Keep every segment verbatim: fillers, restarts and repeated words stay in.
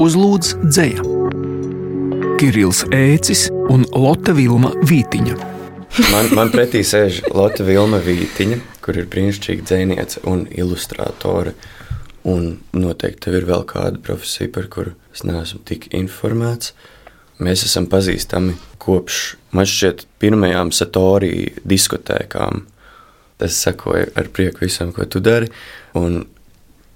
uzlūdz dzeja. Kirills Ēcis un Lotte Vilma Vītiņa. Man, man pretī sēž Lotte Vilma Vītiņa, kur ir brīnišķīga dzejniece un ilustrātore. Un noteikti tev ir vēl kāda profesija, par kuru es neesmu tik informēts. Mēs esam pazīstami kopš, man šķiet, pirmajām Satorī diskotēkām. Es sekoju ar prieku visam, ko tu dari. Un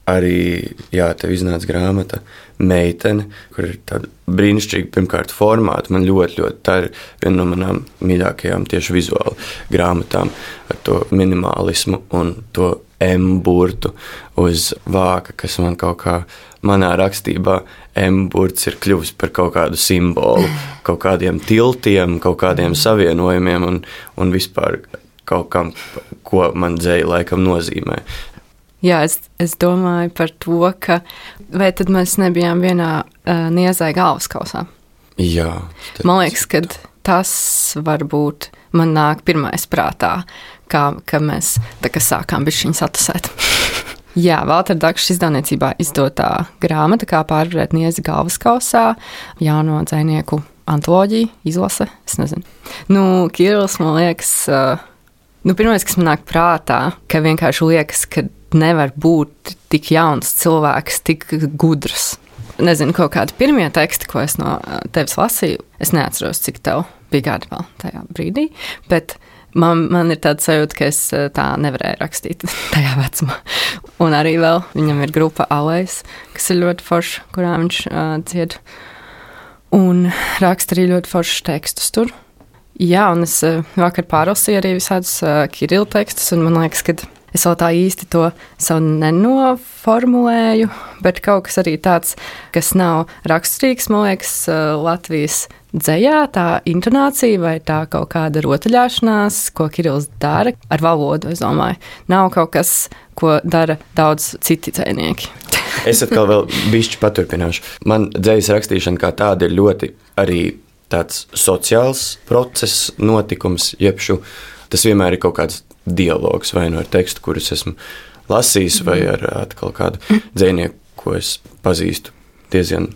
arī, jā, tev iznāca grāmata Meitene, kur ir tāda brīnišķīga, pirmkārt, formāta. Man ļoti, ļoti, tā ir viena no manām mīļākajām tieši vizuāli grāmatām ar to minimalismu un to M-burtu uz vāka, kas man kaut kā, manā rakstībā M-burts ir kļuvis par kaut kādu simbolu, kaut kādiem tiltiem, kaut kādiem savienojumiem un, un vispār kaut kam, ko man dzeja laikam nozīmē. Jā, es, es domāju par to, ka vai tad mēs nebijām vienā uh, Niezai galvaskausā? Jā. Man liekas, ka tas varbūt man nāk pirmais prātā, kā, ka mēs tā kā sākām bišķiņu satusēt. Jā, Valtera Dakša izdevniecībā izdotā grāmata, kā pārvarēt Niezi galvaskausā, jauno dzejnieku antoloģiju, izlase, es nezinu. Nu, Kirills, man liekas, uh, nu, pirmais, kas man nāk prātā, ka vienkārši liekas, ka nevar būt tik jauns cilvēks, tik gudrs. Nezinu, kaut kādi pirmie teksti, ko es no tevis lasīju, es neatceros, cik tev bija gadi vēl tajā brīdī, bet man, man ir tāda sajūta, ka es tā nevarēju rakstīt tajā vecumā. Un arī vēl viņam ir grupa Alejs, kas ir ļoti forša, kurā viņš uh, dzied. Un raksta arī ļoti foršus tekstus tur. Jā, un es uh, vakar pārlasīju arī visādus uh, Kirila tekstus, un man liekas, ka es vēl tā īsti to savu nenoformulēju, bet kaut kas arī tāds, kas nav raksturīgs, man liekas, Latvijas dzejā, tā intonācija vai tā kaut kāda rotaļāšanās, ko Kirills dara ar valodu, es domāju. Nav kaut kas, ko dara daudz citi dzejnieki. Es atkal vēl bišķi paturpināšu. Man dzejas rakstīšana kā tāda ir ļoti arī tāds sociāls process, notikums, jebšu. Tas vienmēr ir kaut kāds dialogs vai nu ar tekstu, kurus esmu lasījis, vai ar atkal kādu dzejnieku, ko es pazīstu diezgan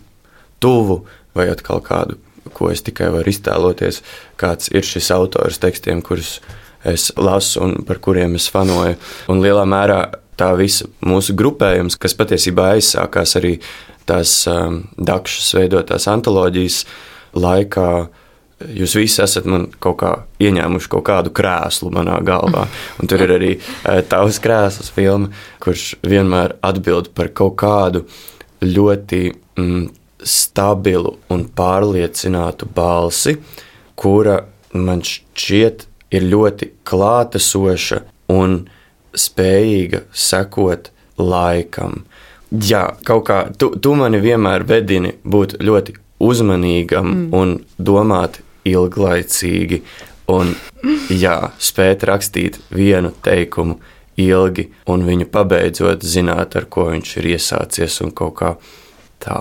tuvu, vai atkal kādu, ko es tikai varu iztēloties, kāds ir šis autors tekstiem, kurus es lasu un par kuriem es fanoju. Un lielā mērā tā visa mūsu grupējums, kas patiesībā aizsākās arī tās um, Dakšas veidotās antoloģijas laikā, jūs visi esat man kaut kā ieņēmuši kaut kādu krēslu manā galvā. Un tur ir arī tavs krēsls filma, kurš vienmēr atbild par kaut kādu ļoti mm, stabilu un pārliecinātu balsi, kura man šķiet ir ļoti klātesoša un spējīga sekot laikam. Jā, kaut kā, tu, tu mani vienmēr vedini būt ļoti uzmanīgam mm. un domāt ilglaicīgi un, jā, spēt rakstīt vienu teikumu ilgi un viņu pabeidzot zināt, ar ko viņš ir iesācies un kaut kā tā.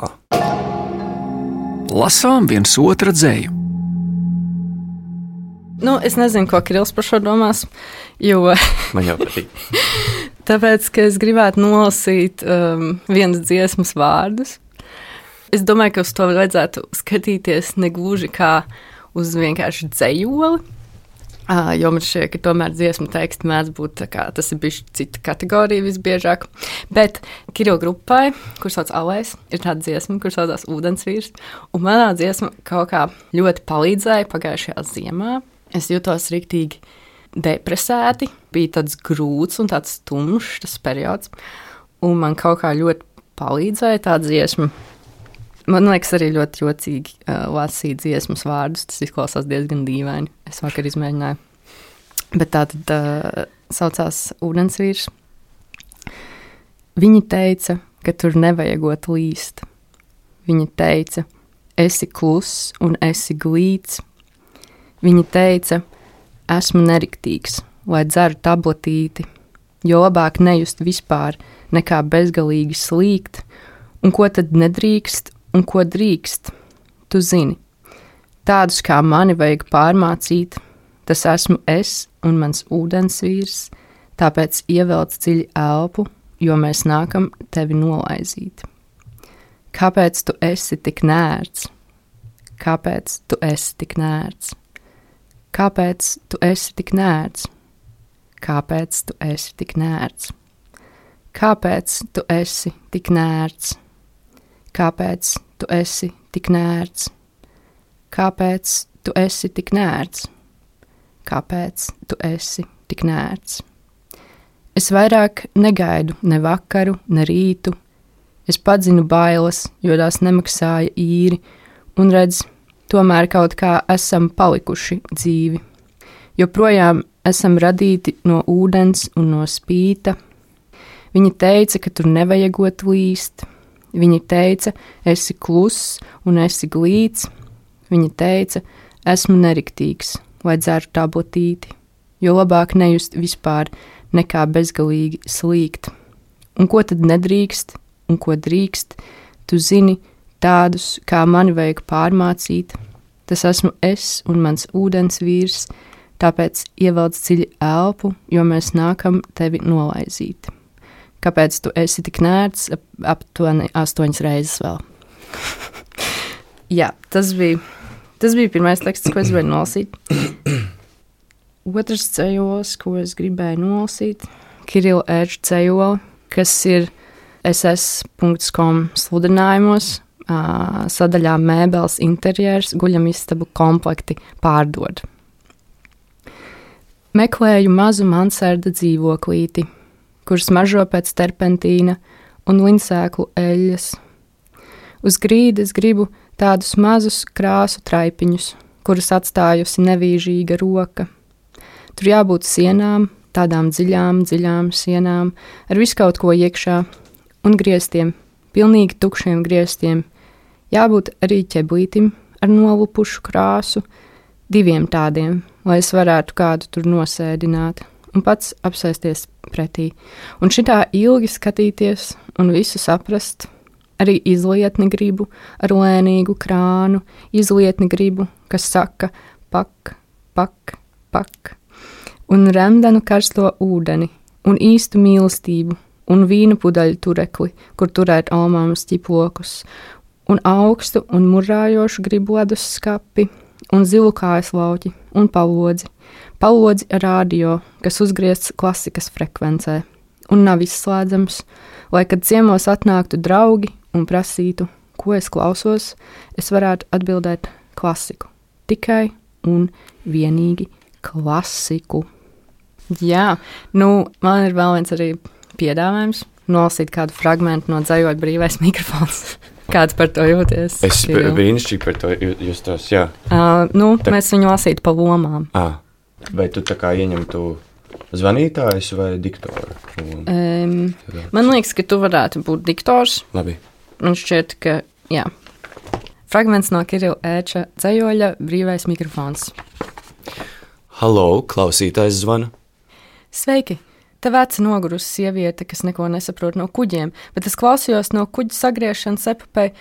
Lasām viens otra dzeju. Nu, es nezinu, ko Kirills par šo domās, jo... Man jau patīk. Tāpēc, ka es gribētu nolasīt um, vienas dziesmas vārdus. Es domāju, ka uz to vajadzētu skatīties negluži kā uz vienkārši dzejoli, jo man šķiet, ka tomēr dziesmu teksti mēdz būt tā kā, tas ir bišķi cita kategorija visbiežāk. Bet Kirila grupai, kur sauc Alejs, ir tāda dziesma, kur saucās Ūdensvīrs, un manā dziesma kaut kā ļoti palīdzēja pagājušajā ziemā. Es jutos riktīgi depresēti, bija tāds grūts un tāds tumšs tas periods, un man kaut kā ļoti palīdzēja tā dziesma. Man liekas, arī ļoti jocīgi uh, lasīt dziesmas vārdus. Tas izklausās diezgan dīvaini. Es vakar izmēģināju. Bet tā tad uh, saucās Ūdensvīrs. Viņi teica, ka tur nevajagot līst. Viņa teica, esi kluss un esi glīts. Viņa teica, esmu neriktīgs, lai dzeru tabletīti, jo labāk nejust vispār, nekā bezgalīgi slīgt, un ko tad nedrīkst, un ko drīkst, tu zini. Tādus kā mani vajag pārmācīt, tas esmu es un mans ūdensvīrs, tāpēc ievelc dziļi elpu, jo mēs nākam tevi nolaizīt. Kāpēc tu esi tik nērts? Kāpēc tu esi tik nērts? Kāpēc tu esi tik nērts? Kāpēc tu esi tik nērts? Kāpēc tu esi tik nērts? Kāpēc tu esi tik nērts? Kāpēc tu esi tik nērts? Kāpēc tu esi tik nērts? Es vairāk negaidu ne vakaru, ne rītu. Es padzinu bailes, jo tās nemaksāja īri, un redz, tomēr kaut kā esam palikuši dzīvi. Joprojām esam radīti no ūdens un no spīta. Viņi teica, ka tur nevajagot līst. Viņi teica, esi kluss un esi glīts. Viņi teica, esmu neriktīgs, lai dzeru tabletīti, jo labāk nejust vispār nekā bezgalīgi slīgt. Un ko tad nedrīkst, un ko drīkst, tu zini, tādus, kā mani vajag pārmācīt. Tas esmu es un mans ūdens vīrs, tāpēc ievelc dziļi elpu, jo mēs nākam tevi nolaizīt. Kāpēc tu esi tik nērts? Aptuveni astoņas reizes vēl. Jā, tas bija, tas bija pirmais teksts, ko es gribēju nolasīt. Otrs cejols, ko es gribēju nolasīt, Kirila Ērča cejola, kas ir es es punkts com sludinājumos, sadaļā mēbeles interjers, guļamistabu komplekti pārdod. Meklēju mazu mansarda dzīvoklīti, kur smaržo pēc terpentīna un linsēklu eļļas. Uz grīdas gribu tādus mazus krāsu traipiņus, kurus atstājusi nevīžīga roka. Tur jābūt sienām, tādām dziļām, dziļām sienām, ar visu kaut ko iekšā, un griestiem, pilnīgi tukšiem griestiem. Jābūt arī ķeblītim ar nolupušu krāsu, diviem tādiem, lai es varētu kādu tur nosēdināt un pats apsēsties pretī. Un šitā ilgi skatīties un visu saprast, arī izlietni gribu ar lēnīgu krānu, izlietni gribu, kas saka pak, pak, pak. Un remdenu karsto ūdeni, un īstu mīlestību, un vīnu pudaļu turekli, kur turēt almāmas ķiplokus, un augstu un murājošu gribu ledus skapi, un zilu kājas lauķi, un palodzi, palodzi ar rādio, kas uzgriezts klasikas frekvencē, un nav izslēdzams, lai, kad ciemos atnāktu draugi un prasītu, ko es klausos, es varētu atbildēt klasiku, tikai un vienīgi klasiku. Jā, nu, man ir vēl viens arī piedāvājums nolasīt kādu fragmentu no Dzejoļa brīvais mikrofons. Kāds par to jūties? Es brīnišķīgi par to justos, jā. Uh, nu, tā... mēs viņu lasītu pa lomām. À, vai tu tā kā ieņemtu zvanītājus vai diktoru? Um, man liekas, ka tu varētu būt diktors. Labi. Man šķiet, ka, jā. Fragments no Kirila Ērča Dzejoļa brīvais mikrofons. Halo, klausītājs zvana. Sveiki! Te veca nogurusi sieviete, kas neko nesaprot no kuģiem, bet es klausījos no kuģa sagriešanas epopēja.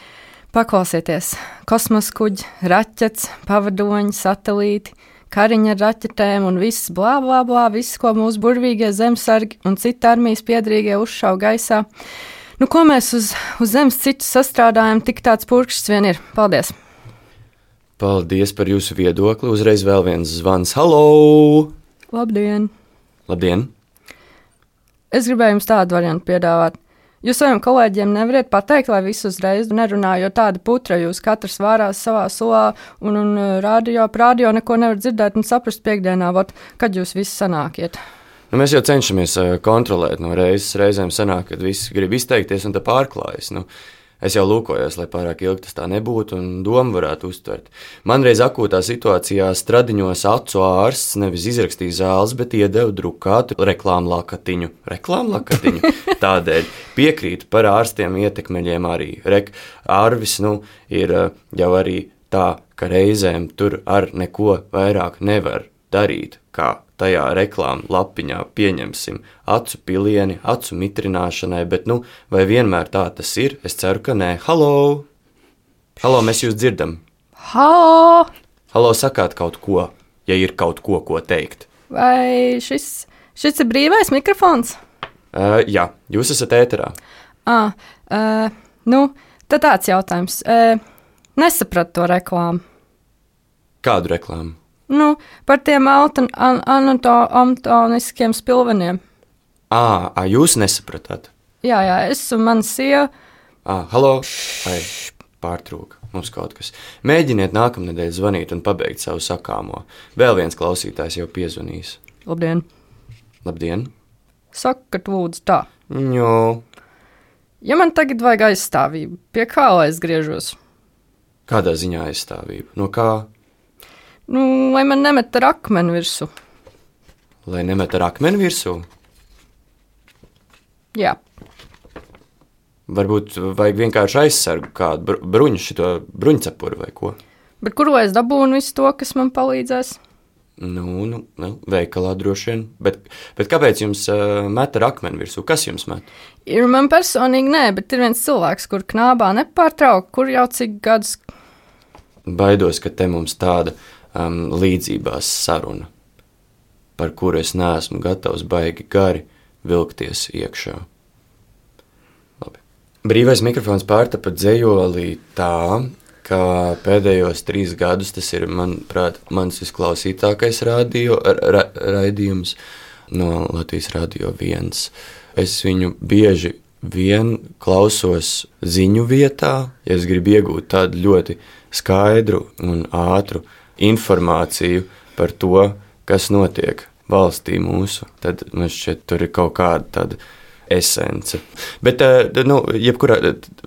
Paklausieties! Kosmos kuģi, raķets, pavadoņi, satelīti, kariņa ar raķetēm un viss blā, blā, blā, viss, ko mūsu burvīgie zemesargi un citi armijas piedrīgie uzšauj gaisā. Nu, ko mēs uz, uz zemes citu sastrādājam, tik tāds purkšs vien ir. Paldies! Paldies par jūsu viedokli. Uzreiz vēl viens zvans. Halo! Labdien! Labdien! Es gribēju jums tādu variantu piedāvāt. Jūs saviem kolēģiem nevariet pateikt, lai visu uzreiz nerunā, jo tāda putra jūs katrs vārās savā sulā un, un radio, radio neko nevar dzirdēt un saprast piekdienā, vot, kad jūs visi sanākiet. Nu, mēs jau cenšamies kontrolēt, no reizes reizēm sanāk, kad visi grib izteikties un tā pārklājas. Nu, es jau lūkojos, lai pārāk ilgi tas tā nebūtu un domu varētu uztvert. Man reiz akūtā situācijā Stradiņos acu ārsts nevis izrakstīja zāles, bet iedeva drukātu reklāmlakatiņu. Reklāmlakatiņu? Tādēļ piekrītu par ārstiem ietekmeļiem arī. Rek, Arvis, nu, ir jau arī tā, ka reizēm tur ar neko vairāk nevar darīt, kā tajā reklāmu lapiņā pieņemsim acu pilieni, acu mitrināšanai, bet nu, vai vienmēr tā tas ir? Es ceru, ka nē. Halo! Halo, mēs jūs dzirdam. Halo! Halo, sakāt kaut ko, ja ir kaut ko, ko teikt. Vai šis, šis ir brīvais mikrofons? Uh, jā, jūs esat ēterā. Ah, uh, nu, Tad tāds jautājums. E, nesapratu to reklāmu. Kādu reklāmu? Nu, par tiem auto, an, anatoniskiem spilveniem. Ā, ā, jūs nesapratāt? Jā, jā, es un mana sieva. Ā, halo? Ai, pārtrūka. Mums kaut kas. Mēģiniet nākamnedēļ zvanīt un pabeigt savu sakāmo. Vēl viens klausītājs jau piezvanīs. Labdien. Labdien. Sakat, lūdzu tā. Jo. Ja man tagad vajag aizstāvību, pie kā lai es griežos? Kādā ziņā aizstāvība? No kā? Nu, lai man nemet ar akmeni virsū. Lai nemet ar akmeni virsū? Jā. Varbūt vajag vienkārši aizsargu kādu bruņu, šito bruņcepuru vai ko. Bet kur lai es dabūnu visu to, kas man palīdzēs? Nu, nu, nu veikalā droši vien. Bet, bet kāpēc jums uh, met ar akmeni virsū? Kas jums met? Ir man personīgi nē, bet ir viens cilvēks, kur knābā nepārtraukt, kur jau cik gadus. Baidos, ka te mums tāda um, līdzībās saruna, par kuru es neesmu gatavs baigi gari vilkties iekšā. Brīvais mikrofons pārtapa dzejolī tā, ka pēdējos trīs gadus tas ir, manuprāt, mans visklausītākais radio, ra, raidījums no Latvijas Radio viens. Es viņu bieži vien klausos ziņu vietā, ja es gribu iegūt tādu ļoti skaidru un ātru informāciju par to, kas notiek valstī mūsu, tad man šķiet, tur ir kaut kāda tāda esence. Bet, nu, jebkurā,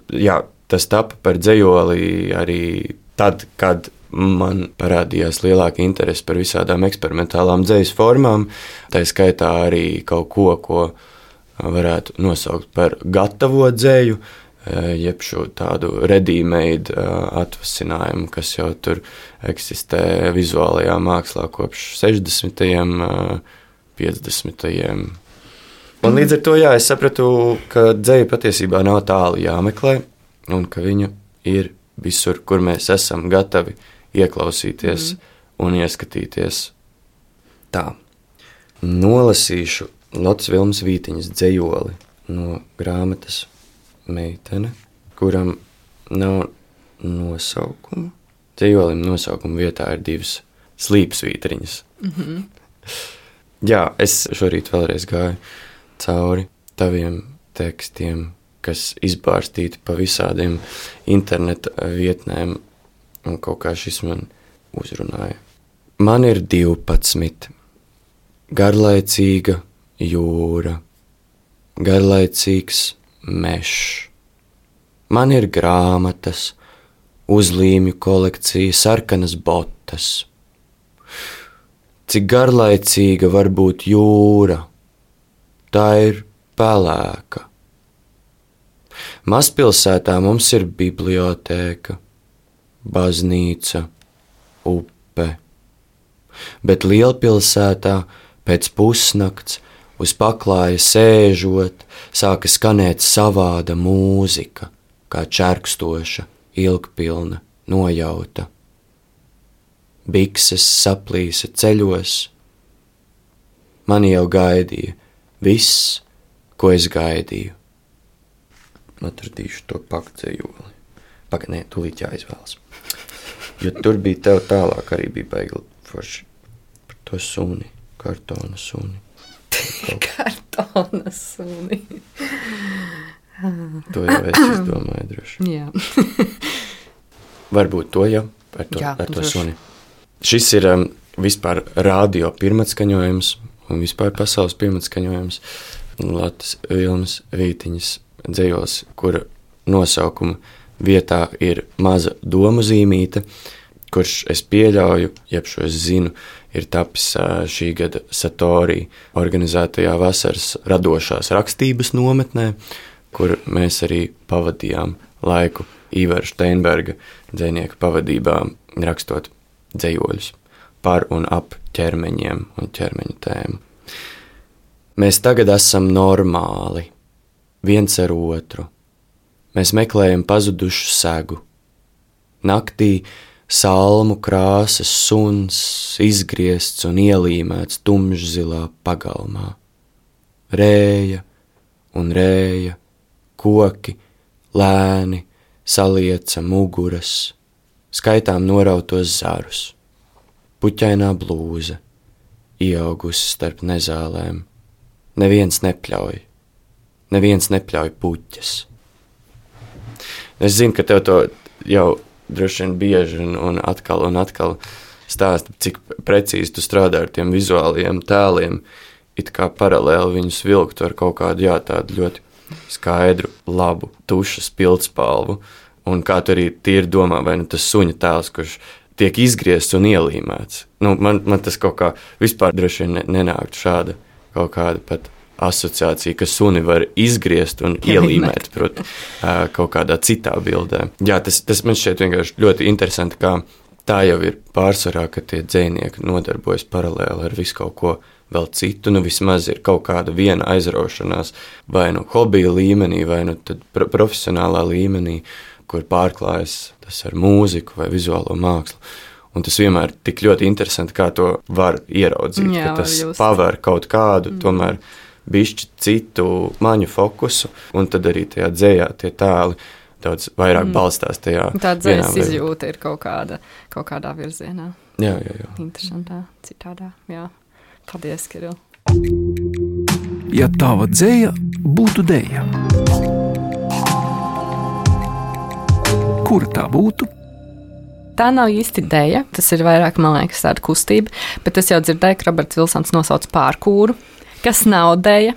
jā, tas tapa par dzejoli arī tad, kad man parādījās lielāka interese par visādām eksperimentālām dzejas formām, tā skaitā arī kaut ko, ko varētu nosaukt par gatavo dzeju, jeb šo tādu ready-made atvasinājumu, kas jau tur eksistē vizuālajā mākslā kopš sešdesmitajiem, piecdesmitajiem. Un līdz ar to, jā, es sapratu, ka dzeja patiesībā nav tālu jāmeklē, un ka viņa ir visur, kur mēs esam gatavi ieklausīties mm. un ieskatīties. Tā. Nolasīšu Lotas Vilmas Vītiņas dzejoli no grāmatas Meitene, kuram nav nosaukuma. Dzejolim nosaukuma vietā ir divas slīpsvītriņas. Mm-hmm. Jā, es šorīt vēlreiz gāju cauri taviem tekstiem, kas izbārstīti pa visādiem interneta vietnēm, un kaut kā šis man uzrunāja. Man ir divpadsmit, garlaicīga jūra, garlaicīgs mešs. Man ir grāmatas, uzlīmju kolekcija, sarkanas botas. Cik garlaicīga var būt jūra, tā ir pelēka. Mazpilsētā mums ir bibliotēka, baznīca, upe, bet lielpilsētā pēc pusnakts uz paklāja sēžot sāka skanēt savāda mūzika, kā čerkstoša, ilgpilna, nojauta. Bikses saplīsa ceļos, mani jau gaidīja viss, ko es gaidīju. Atradīšu to pakdzejoli. Pagaid, nē, tūlīt jāizvēlas. Jo tur bija tev tālāk arī bija baigi forši par to suni, kartona suni. Kartona suni. To jau es izdomāju droši. Jā. Varbūt to jau ar to, Jā, ar to droši. suni. Šis ir um, vispār radio pirmatskaņojums un vispār pasaules pirmatskaņojums Latas Vilmas Vītiņas dzejols, kura nosaukuma vietā ir maza domu zīmīte, kurš es pieļauju, jeb šo es zinu, ir tapis šī gada Satorī organizētajā vasaras radošās rakstības nometnē, kur mēs arī pavadījām laiku Ivara Steinberga dzejnieka pavadībā rakstot dzejoļus par un ap ķermeņiem un ķermeņu tēmu. Mēs tagad esam normāli, viens ar otru. Mēs meklējam pazudušu segu. Naktī salmu krāsas suns izgriezts un ielīmēts tumšzilā pagalmā. Rēja un rēja, koki, lēni, salieca muguras, skaitām norautos zarus, puķainā blūze, ieaugusi starp nezālēm. Neviens nepļauj, neviens nepļauj puķes. Es zinu, ka tev to jau droši vien bieži un, un atkal un atkal stāsta, cik precīzi tu strādā ar tiem vizuāliem tēliem, it kā paralēli viņus vilktu ar kaut kādu, jā, tādu ļoti skaidru, labu, tušas pildspalvu, un kā tu arī tīri domā, vai nu tas suņa tēls, kurš tiek izgriezts un ielīmēts. Nu, man, man tas kaut kā vispār droši vien nenāktu šāda kaut kāda pat asociācija, ka suni var izgriezt un ielīmēt, proti, kaut kādā citā bildē. Jā, tas, tas man šķiet vienkārši ļoti interesanti, kā tā jau ir pārsvarā, ka tie dzejnieki nodarbojas paralēli ar visu kaut ko vēl citu, nu vismaz ir kaut kāda viena aizraušanās, vai nu hobija līmenī, vai nu tad pro- profesionālā līmenī, kur pārklājas tas ar mūziku vai vizuālo mākslu. Un tas vienmēr tik ļoti interesanti, kā to var ieraudzīt, Jā, ka tas var just. paver kaut kādu, Mm. tomēr bišķi citu maņu fokusu, un tad arī tajā dzējā tie tēli daudz vairāk Mm. balstās tajā. Tā vienā dzējas vai- izjūta ir kaut kāda, kaut kādā virzienā. Jā, jā, jā. Interesantā, citādā, jā. Paldies, Kiril. Ja tava dzēja būtu dēja, kura tā būtu? Tā nav īsti dēja, tas ir vairāk, man liekas, tāda kustība, bet es jau dzirdēju, ka Roberts Vilsons nosauc pārkūru, kas nav dēja,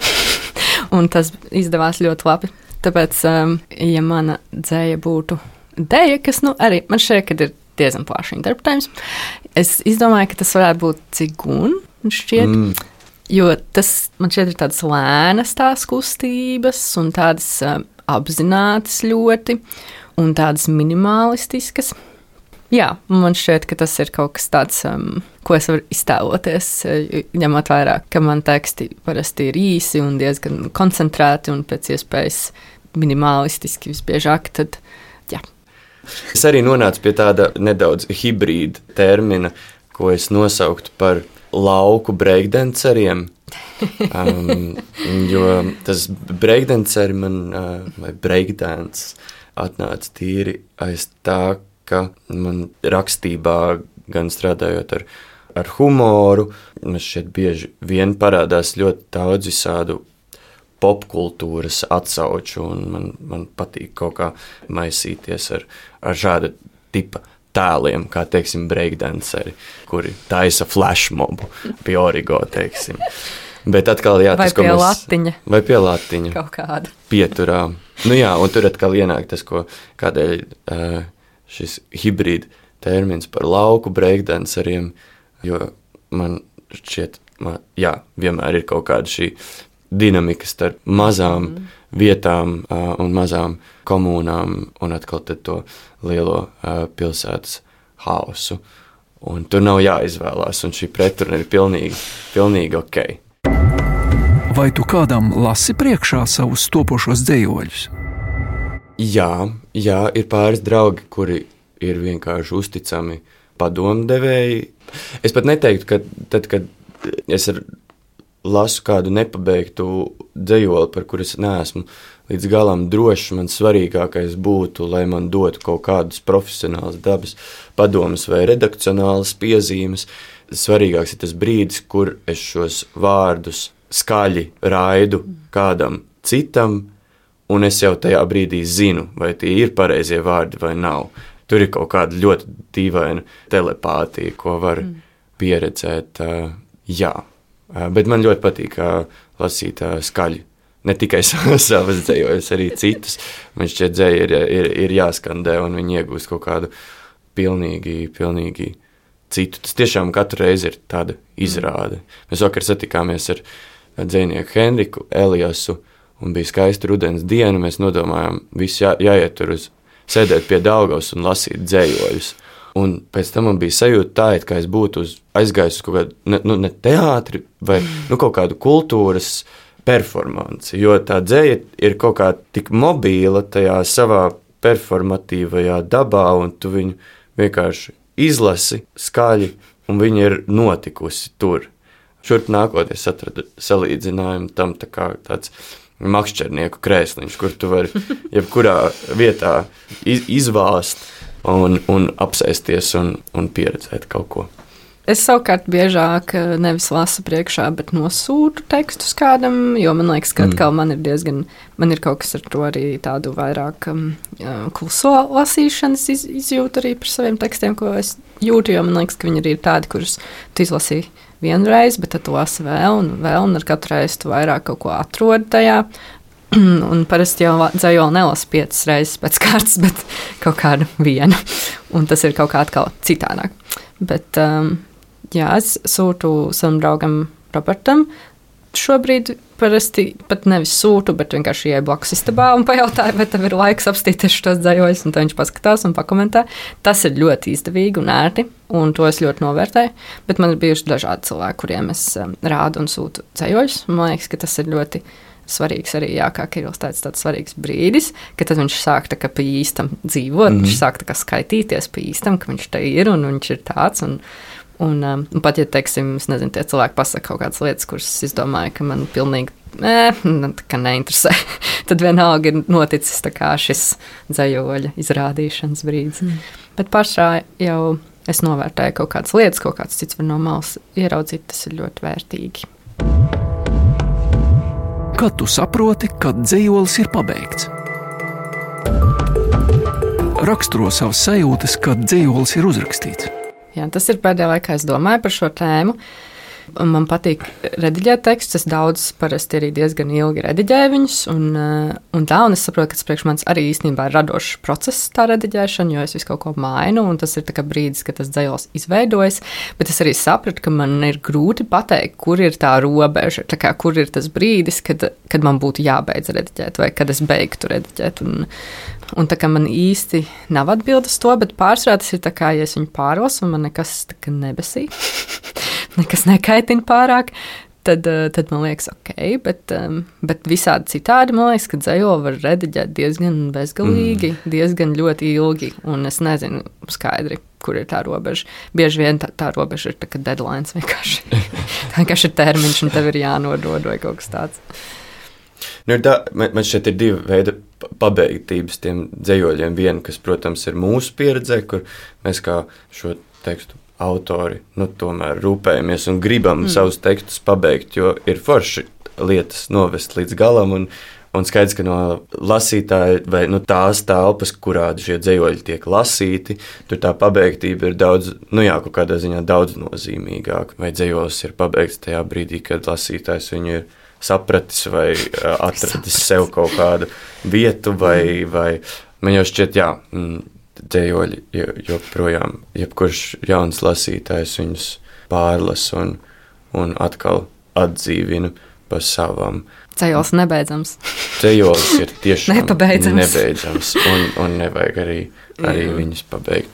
un tas izdevās ļoti labi. Tāpēc, um, ja mana dzēja būtu dēja, kas, nu, arī man šķiet, ka ir diezgan plaši interpretējums, es izdomāju, ka tas varētu būt cigun, šķiet, Mm. jo tas, man šķiet, ir tādas lēnas tās kustības un tādas um, apzinātas ļoti un tādas minimalistiskas. Jā, man šķiet, ka tas ir kaut kas tāds, um, ko es varu iztēloties, eh, ņemot vairāk, ka man teksti parasti ir īsi un diezgan koncentrēti un pēc iespējas minimalistiski visbiežāk, tad jā. Es arī nonācu pie tāda nedaudz hibrīda termina, ko es nosauktu par lauku breakdanceriem. Um, jo tas breakdanceri man, uh, vai breakdance, atnāca tīri aiz tā, ka man rakstībā, gan strādājot ar, ar humoru, man šeit bieži vien parādās ļoti daudz visādu popkultūras atsauču, un man, man patīk kaut kā maisīties ar, ar šāda tipa tēliem, kā, teiksim, breakdanceri, kuri taisa flashmobu pie origo, teiksim. Bet atkal, jā, Vai tas, ko pie mēs... latiņa. Vai pie latiņa. Kaut kāda. Pieturā. Nu jā, un tur atkal ienāk tas, ko kādēļ uh, šis hibrīd termins par lauku breakdanceriem, jo man šķiet, man, jā, vienmēr ir kaut kāda šī dinamika starp mazām mm. vietām uh, un mazām komunām un atkal tad to lielo uh, pilsētas hausu. Un tur nav jāizvēlās, un šī pretruna ir pilnīgi, pilnīgi ok. Vai tu kādam lasi priekšā savus topošos dzējoļus? Jā, jā, ir pāris draugi, kuri ir vienkārši uzticami padomdevēji. Es pat neteiktu, ka tad, kad es ar lasu kādu nepabeigtu dzejoli, par kur es neesmu līdz galam drošs, man svarīgākais būtu, lai man dotu kaut kādus profesionālus dabas padomus vai redakcionālas piezīmes. Svarīgāks ir tas brīdis, kur es šos vārdus skaļi raidu kādam citam, un es jau tajā brīdī zinu, vai tie ir pareizie vārdi vai nav. Tur ir kaut kāda ļoti dīvaina telepātija, ko var mm. pieredzēt. Jā, bet man ļoti patīk lasīt skaļi. Ne tikai savas dzējoļus, arī citus. Man šķiet, dzēja ir, ir, ir jāskandē, un viņi iegūst kaut kādu pilnīgi, pilnīgi citu. Tas tiešām katru reizi ir tāda izrāde. Mēs vakar satikāmies ar dzejnieku Henriku Eliasu, un bija skaista rudens diena. Mēs nodomājām, visi jā, jāiet tur uz sēdēt pie Daugavas un lasīt dzējoļus. Un pēc tam man bija sajūta tā, it kā es būtu uz, aizgājis uz kaut kādu, ne, nu, ne teātri, vai nu, kaut kādu kultūras performanci, jo tā dzēja ir kaut kā tik mobīla tajā savā performatīvajā dabā, un tu viņu vienkārši izlasi skaļi, un viņa ir notikusi tur. Šurp nākotnē es atradu salīdzinājumu tam, tā kā tāds makšķernieku krēsliņš, kur tu vari jebkurā vietā iz, izvāst un, un apsēsties un, un pieredzēt kaut ko. Es savukārt biežāk nevis lasu priekšā, bet nosūtu tekstus kādam, jo man liekas, ka atkal man ir diezgan, man ir kaut kas ar to arī tādu vairāk um, kluso lasīšanas iz, izjūtu arī par saviem tekstiem, ko es jūtu, jo man liekas, ka viņi arī ir tādi, kurus tu izlasīji vienreiz, bet tad tu lasi vēl un vēl, un ar katru reizi tu vairāk kaut ko atrodi tajā. Un parasti jau dzējoli nelasa piecas reizes pēc kārtas, bet kaut kādu vienu. Un tas ir kaut kā atkal citādāk. Bet, um, jā, es sūtu savam draugam Robertam. Šobrīd parasti pat nevis sūtu, bet vienkārši ieeju blakus istabā un pajautāju, vai tev ir laiks apstīties šos dzējoļus, un tad viņš paskatās un pakomentē. Tas ir ļoti izdevīgi un ērti, un to es ļoti novērtēju. Bet man ir bijuši dažādi cilvēki, kuriem es um, rādu un sūtu dzējoļus. Man liekas, ka tas ir ļoti svarīgs arī, jā, kā Kirills teica, tāds svarīgs brīdis, ka tad viņš sāk tā kā pa īstam dzīvot, mm. viņš sāk tā kā skaitīties pa īstam, ka viņš te ir un viņš ir tāds, un, un, um, un pat, ja, teiksim, es nezinu, tie cilvēki pasaka kaut kādas lietas, kuras es domāju, ka man pilnīgi, eh, tā kā neinteresē, tad vienalga ir noticis tā kā šis dzējoļa izrādīšanas brīdis. Mm. Bet pašā jau es novērtēju kaut kādas lietas, kaut kāds cits var no malas ieraudzīt, tas ir ļoti vērtīgi. Kad tu saproti, ka dzējolis ir pabeigts? Raksturo savas sajūtas, kad dzējolis ir uzrakstīts. Jā, tas ir pēdējā laikā, es domāju par šo tēmu. Man patīk rediģēt tekstus, es daudz parasti arī diezgan ilgi rediģēju viņus, un, un tā, un es saprotu, ka tas priekš manis arī īstenībā ir radošs process tā rediģēšana, jo es visu kaut ko mainu, un tas ir tā kā brīdis, kad tas dzējolis izveidojas, bet es arī sapratu, ka man ir grūti pateikt, kur ir tā robeža, tā kā, kur ir tas brīdis, kad, kad man būtu jābeidz rediģēt, vai kad es beigtu rediģēt, un, un tā kā man īsti nav atbildes to, bet pārsvarā tas ir tā kā, ja es viņu pārlasu, un man nekas tā kā nebesī. Nekas nekaitina pārāk, tad, tad man liekas, ok, bet, bet visādi citādi man liekas, ka dzējoli var rediģēt diezgan bezgalīgi, mm. diezgan ļoti ilgi, un es nezinu skaidri, kur ir tā robeža. Bieži vien tā, tā robeža ir tā kā deadlines vienkārši. Tā vienkārši ir termiņš, un tev ir jānodod vai kaut kas tāds. Nu, tā, man šeit ir divi veidi pabeigtības tiem dzējoļiem. Viena, kas, protams, ir mūsu pieredzē, kur mēs kā šo tekstu autori, nu, tomēr rūpējamies un gribam mm. savus tekstus pabeigt, jo ir forši lietas novest līdz galam, un, un skaidrs, ka no lasītāja vai no tās telpas, kurā šie dzējoļi tiek lasīti, tur tā pabeigtība ir daudz, nu jā, kaut kādā ziņā daudz nozīmīgāk, vai dzējolis ir pabeigts tajā brīdī, kad lasītājs viņu ir sapratis vai atradis sev kaut kādu vietu, vai, vai man jau šķiet, jā, mm, dzējoļi joprojām, jebkurš jauns lasītājs viņus pārlas un, un atkal atdzīvina pa savam. Dzējolis nebeidzams. Dzējolis ir tiešām nepabeidzams. nebeidzams un, un nevajag arī, arī viņus pabeigt.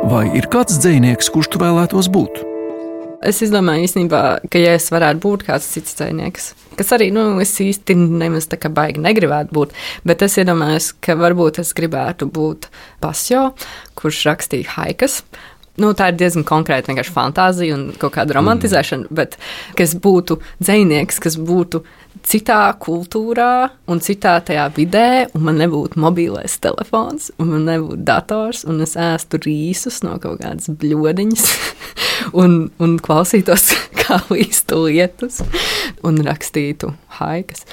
Vai ir kāds dzejnieks, kurš tu vēlētos būt? Es izdomāju īstenībā, ka ja es varētu būt kāds cits dzejnieks, kas arī, nu, es īsti nemaz tā kā baigi negribētu būt, bet es iedomājos, ka varbūt es gribētu būt Pasjo, kurš rakstīja haikas. Nu, tā ir diezgan konkrēta vienkārši fantāzija un kaut kāda romantizēšana, mm. bet kas būtu dzejnieks, kas būtu citā kultūrā un citā tajā vidē, un man nebūtu mobilais telefons, un man nebūtu dators, un es ēstu rīsus no kaut kādas bļodiņas un, un klausītos kā līstu lietus un rakstītu haikas.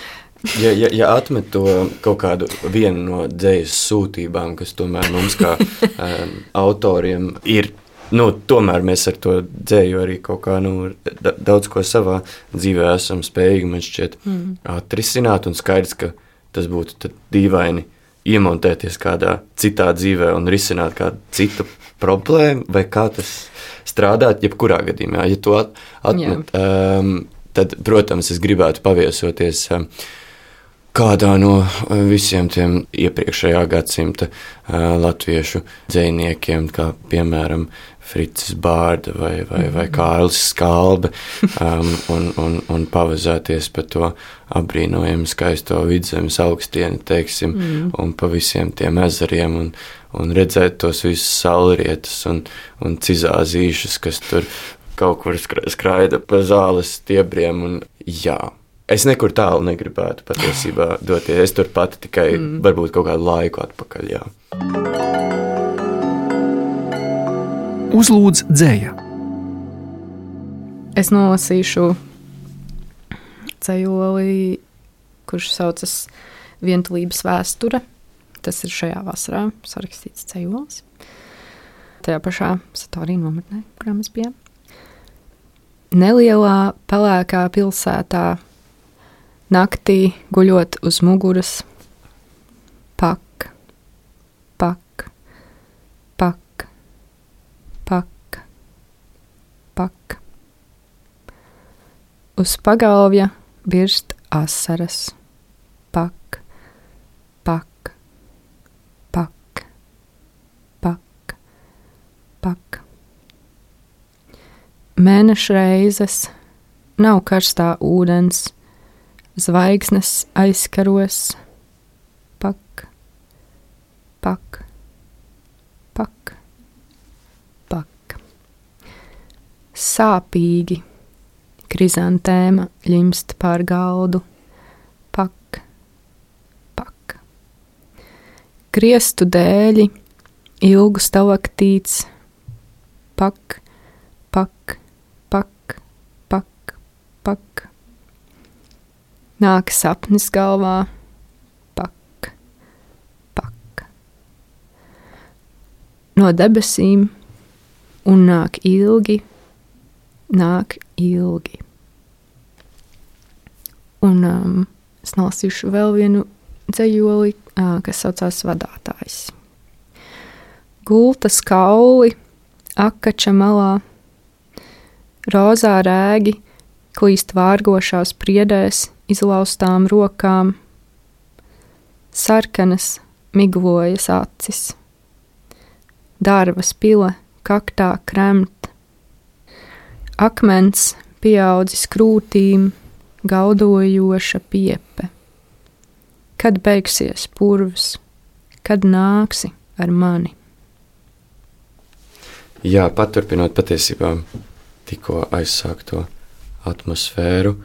Ja, ja, ja atmet to kaut kādu vienu no dzejas sūtībām, kas tomēr mums kā um, autoriem ir, nu, tomēr mēs ar to dzēju arī kaut kā, nu, da, daudz ko savā dzīvē esam spējīgi, man šķiet, mm. atrisināt, un skaidrs, ka tas būtu tad dīvaini iemontēties kādā citā dzīvē un risināt kādu citu problēmu, vai kā tas strādāt, jebkurā gadījumā. Ja to at, atmet, um, tad, protams, es gribētu paviesoties um, kādā no visiem tiem iepriekšējā gadsimta uh, latviešu dzejniekiem, kā piemēram Fricis Bārda vai, vai, vai Kārlis Skalbe, um, un, un, un pavazēties pa to apbrīnojumu skaisto Vidzemes augstieni, teiksim, mm. un pa visiem tiem ezeriem, un, un redzēt tos visus saulrietus un, un cizāzīšus, kas tur kaut kur skraida pa zāles stiebriem. Un, jā, es nekur tālu negribētu patiesībā doties. Es tur pati tikai mm. varbūt kaut kādu laiku atpakaļ. Jā. Uzlūdz dzēja. Es nolasīšu dzejoli, kurš saucas Vientulības vēsture. Tas ir šajā vasarā sarakstīts dzejolis. Tajā pašā Satorija nometnē, kurā mēs bijām. Nelielā pelēkā pilsētā naktī guļot uz muguras, pak, pak, pak, pak, pak. Uz pagalvja birst asaras, pak, pak, pak, pak, pak. Mēneša reizes, nav karstā ūdens, zvaigznes aizkaros, pak, pak, pak, pak. Sāpīgi. Krizantēma ļimst pār galdu, pak, pak. Griestu dēļi, ilgu stalaktīts, pak, pak, pak, pak, pak. Nāk sapnis galvā, pak, pak. No debesīm un nāk ilgi, nāk ilgi. Un um, es nolasīšu vēl vienu dzejoli, uh, kas saucās Vadātājs. Gultas kauli, akača malā, rozā rēgi, klīst vārgošās priedēs, izlaustām rokām, sarkanas miglojas acis, dārvas pile, kaktā kremt, akmens pieaudzis krūtīm, gaudojoša piepe. Kad beigsies purvs, kad nāksi ar mani? Jā, paturpinot patiesībā tikko aizsākto atmosfēru,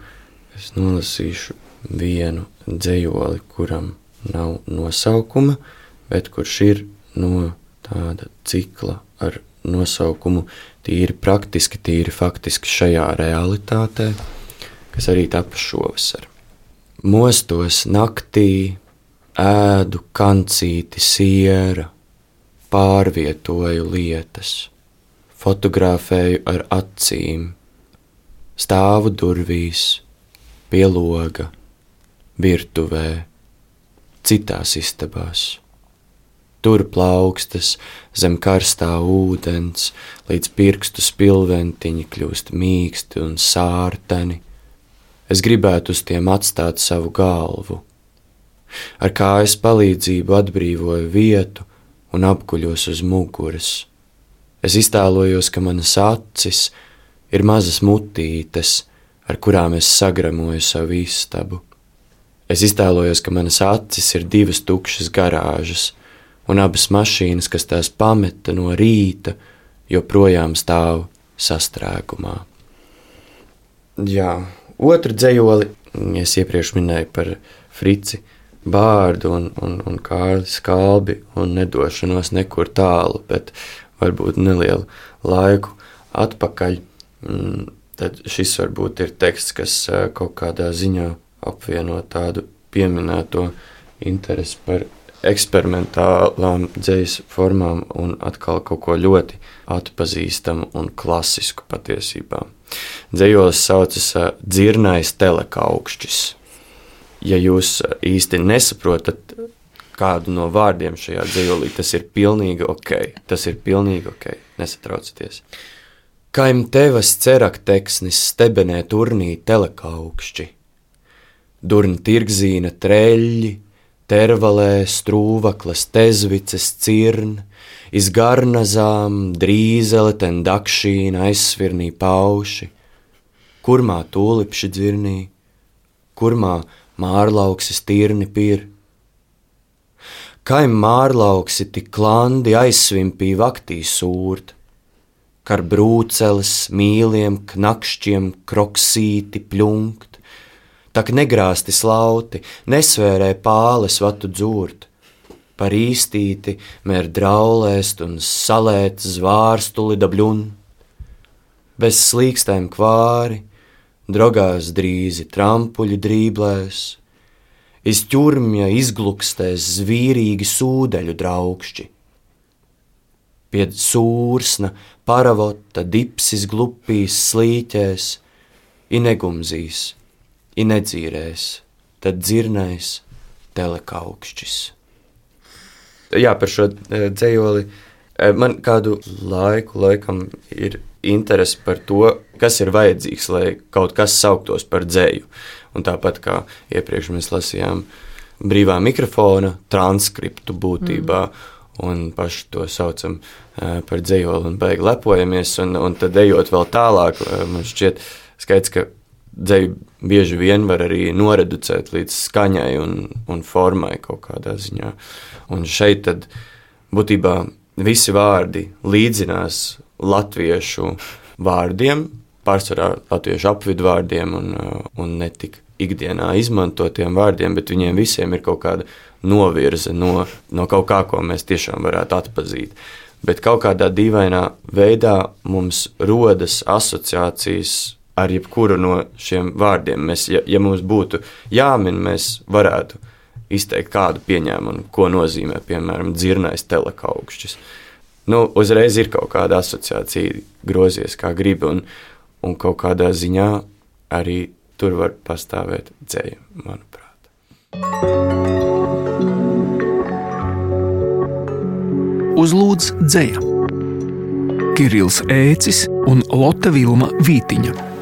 es nolasīšu vienu dzejoli, kuram nav nosaukuma, bet kurš ir no tāda cikla ar nosaukumu tīri praktiski, tīri faktiski šajā realitātē, kas arī tapa šovasar. Mostos naktī, ēdu kancīti siera, pārvietoju lietas, fotografēju ar acīm, stāvu durvīs, pie loga, virtuvē, citās istabās. Tur plaukstas zem karstā ūdens, līdz pirkstu spilventiņi kļūst mīksti un sārteni. Es gribētu uz tiem atstāt savu galvu. Ar kājas palīdzību atbrīvoju vietu un apguļos uz muguras. Es iztēlojos, ka manas acis ir mazas mutītes, ar kurām es sagramoju savu istabu. Es iztēlojos, ka manas acis ir divas tukšas garāžas, un abas mašīnas, kas tās pameta no rīta, joprojām stāv sastrēgumā. Jā, otru dzejoli, es iepriekš minēju par Frici Bārdu un, un, un Kārli Skalbi un nedošanos nekur tālu, bet varbūt nelielu laiku atpakaļ. Tad šis varbūt ir teksts, kas kaut kādā ziņā apvieno tādu pieminēto interesi par eksperimentālām dzejas formām un atkal kaut ko ļoti atpazīstamu un klasisku patiesībā. Dzejolis saucas Dzirnais telekaukšķis. Ja jūs īsti nesaprotat kādu no vārdiem šajā dzejolī, tas ir pilnīgi ok. Tas ir pilnīgi ok, nesatraucaties. Kaim tevas cerakteksnis stebenē turnī telekaukšķi. Durn tirgzīna treļļi, tervalē strūvaklas tezvices cirn, iz garnazām drīzele ten dakšīna aizsvirnī pauši, kurmā tūlipši dzirnī, kurmā mārlauksis tirni pir. Kaim mārlauksi tik klandi aizsvimpī vaktī sūrt, kar brūceles, mīliem, knakšķiem, kroksīti, pļunkt, tak negrāsti slauti, nesvērē pāles vatu dzūrt, par īstīti mēr draulēst un salēt zvārstuli dabļun, bez slīkstēm kvāri, drogās drīzi trampuļi drīblēs, iz ķurmja izglukstēs zvīrīgi sūdeļu draukšķi. Pied sūrsna, paravota, dipsis glupīs slīķēs, i negumzīs, i nedzīrēs, tad dzirnais telekaukšķis. Jā, par šo dzejoli man kādu laiku laikam ir interesi par to, kas ir vajadzīgs, lai kaut kas sauktos par dzeju. Un tāpat kā iepriekš mēs lasījām brīvā mikrofona transkriptu būtībā, mm. un paši to saucam par dzejoli un beigi lepojamies, un, un tad ejot vēl tālāk, man šķiet skaidrs, ka dzeju bieži vien var arī noreducēt līdz skaņai un, un formai kaut kādā ziņā. Un šeit tad būtībā visi vārdi līdzinās latviešu vārdiem, pārsvarā latviešu apvidvārdiem un, un ne tik ikdienā izmantotiem vārdiem, bet viņiem visiem ir kaut kāda novirze no, no kaut kā, ko mēs tiešām varētu atpazīt. Bet kaut kādā dīvainā veidā mums rodas asociācijas ar jebkuru no šiem vārdiem. Mēs, ja, ja mums būtu jāmin, mēs varētu izteikt kādu pieņēmumu, ko nozīmē, piemēram, dzirnais telekaukšķis. Nu, uzreiz ir kaut kāda asociācija grozies kā gribi, un, un kaut kādā ziņā arī tur var pastāvēt dzeja, manuprāt. Uzlūdz dzeja. Kirills Ēcis un Lotte Vilma Vītiņa.